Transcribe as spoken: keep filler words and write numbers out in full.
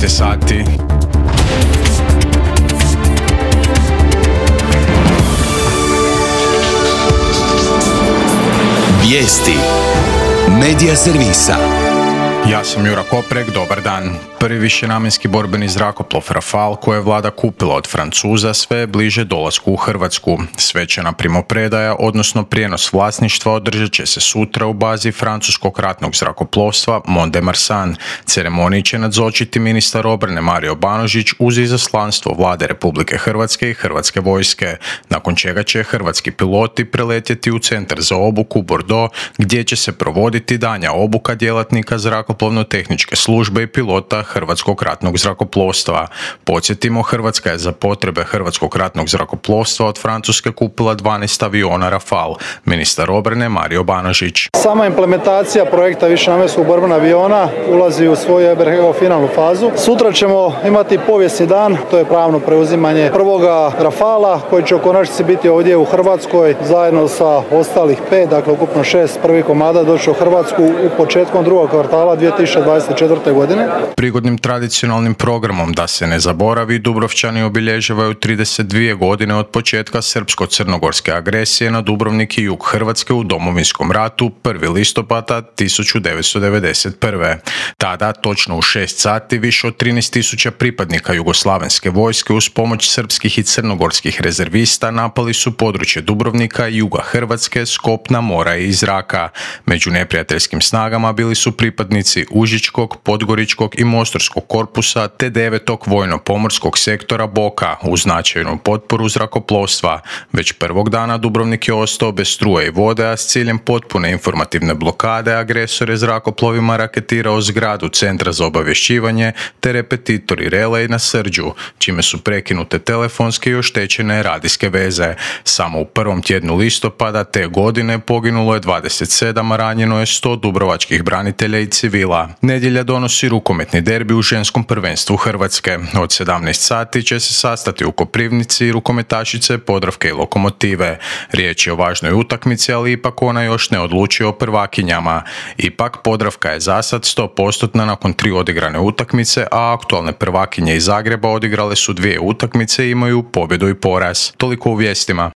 je sati. Vijesti Medija servisa. Ja sam Jura Koprek, dobar dan. Prvi višenamjenski borbeni zrakoplov Rafale koje je vlada kupila od Francuza sve je bliže dolasku u Hrvatsku. Svečana primopredaja, odnosno prijenos vlasništva, održat će se sutra u bazi francuskog ratnog zrakoplovstva Mont-de-Marsan. Ceremoniji će nazočiti ministar obrane Mario Banožić uz izaslanstvo vlade Republike Hrvatske i Hrvatske vojske, nakon čega će hrvatski piloti preletjeti u centar za obuku Bordeaux, gdje će se provoditi danja obuka djelatnika zrakoplovno-tehničke službe i pilota Hrvatskog ratnog zrakoplovstva. Podsjetimo, Hrvatska je za potrebe Hrvatskog ratnog zrakoplovstva od Francuske kupila dvanaest aviona Rafale. Ministar obrane Mario Banožić. Sama implementacija projekta višenamjenskog borbenog aviona ulazi u svoju ja bih rekao finalnu fazu. Sutra ćemo imati povijesni dan, to je pravno preuzimanje prvoga Rafala koji će u konačnici biti ovdje u Hrvatskoj zajedno sa ostalih pet, dakle ukupno šest prvih komada doći u Hrvatsku u početkom drugog kvartala dvije tisuće dvadeset četvrte. godine. Prigodnim tradicionalnim programom Da se ne zaboravi, Dubrovčani obilježavaju trideset dvije godine od početka srpsko-crnogorske agresije na Dubrovnik i jug Hrvatske u Domovinskom ratu prvog listopada tisuću devetsto devedeset prve. Tada, točno u šest sati, više od trinaest tisuća pripadnika jugoslavenske vojske uz pomoć srpskih i crnogorskih rezervista napali su područje Dubrovnika i juga Hrvatske s kopna, mora i iz zraka. Među neprijateljskim snagama bili su pripadnici Užičkog, Podgoričkog i Mostarskog korpusa te devetog vojno-pomorskog sektora Boka uz značajnu potporu zrakoplovstva. Već prvog dana Dubrovnik je ostao bez struje i vode, a s ciljem potpune informativne blokade agresor je zrakoplovima raketirao zgradu Centra za obavješćivanje te repetitori relej na Srđu, čime su prekinute telefonske i oštećene radijske veze. Samo u prvom tjednu listopada te godine poginulo je dvadeset sedam, a ranjeno je sto dubrovačkih branitelja i civila. Nedjelja donosi rukometni derbi u ženskom prvenstvu Hrvatske. Od sedamnaest sati će se sastati u Koprivnici rukometašice Podravke i Lokomotive. Riječ je o važnoj utakmici, ali ipak ona još ne odlučuje o prvakinjama. Ipak Podravka je zasad sto posto nakon tri odigrane utakmice, a aktualne prvakinje iz Zagreba odigrale su dvije utakmice i imaju pobjedu i poraz. Toliko u vijestima.